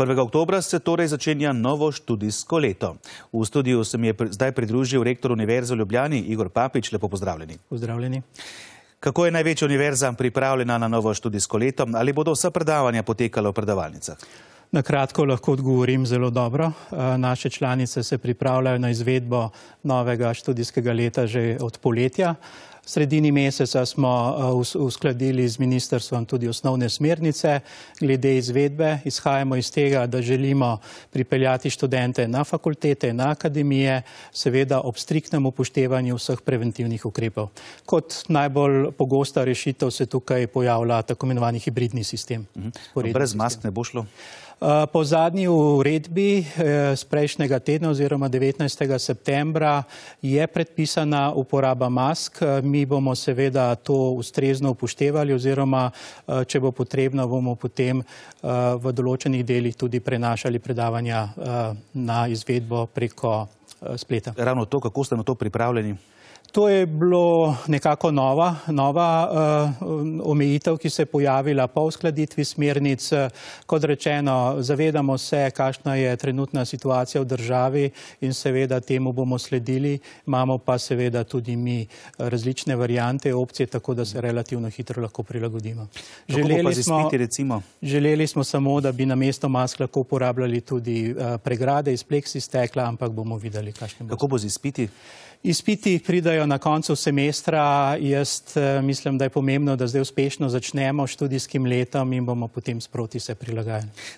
1. oktobra se torej začenja novo študijsko leto. V studiu se mi je zdaj pridružil rektor Univerze v Ljubljani, Igor Papič. Lepo pozdravljeni. Pozdravljeni. Kako je največja univerza pripravljena na novo študijsko leto? Ali bodo vsa predavanja potekala v predavalnicah? Na kratko lahko odgovorim zelo dobro. Naše članice se pripravljajo na izvedbo novega študijskega leta že od poletja. V sredini meseca smo uskladili z ministrstvom tudi osnovne smernice glede izvedbe. Izhajamo iz tega, da želimo pripeljati študente na fakultete, na akademije, seveda ob striktnem upoštevanju vseh preventivnih ukrepov. Kot najbolj pogosta rešitev se tukaj pojavlja tako imenovani hibridni sistem. Brez mask ne bo šlo? Po zadnji uredbi z prejšnjega tedna oziroma 19. septembra je predpisana uporaba mask. Mi bomo seveda to ustrezno upoštevali oziroma, če bo potrebno, bomo potem v določenih delih tudi prenašali predavanja na izvedbo preko spleta. Ravno to, kako ste na to pripravljeni? To je bilo nekako nova omejitev, ki se je pojavila po uskladitvi smernic. Kot rečeno, zavedamo se, kakšna je trenutna situacija v državi in seveda temu bomo sledili. Imamo pa seveda tudi mi različne variante, opcije, tako da se relativno hitro lahko prilagodimo. Kako bo pa z izpiti recimo? Želeli smo samo, da bi namesto mask lahko uporabljali tudi pregrade iz pleksistekla, ampak bomo videli, kakšne bodo. Kako bo z izpiti? Izpiti pridajo na koncu semestra. Jaz mislim, da je pomembno, da zdaj uspešno začnemo študijskim letom in bomo potem sproti se prilagajali.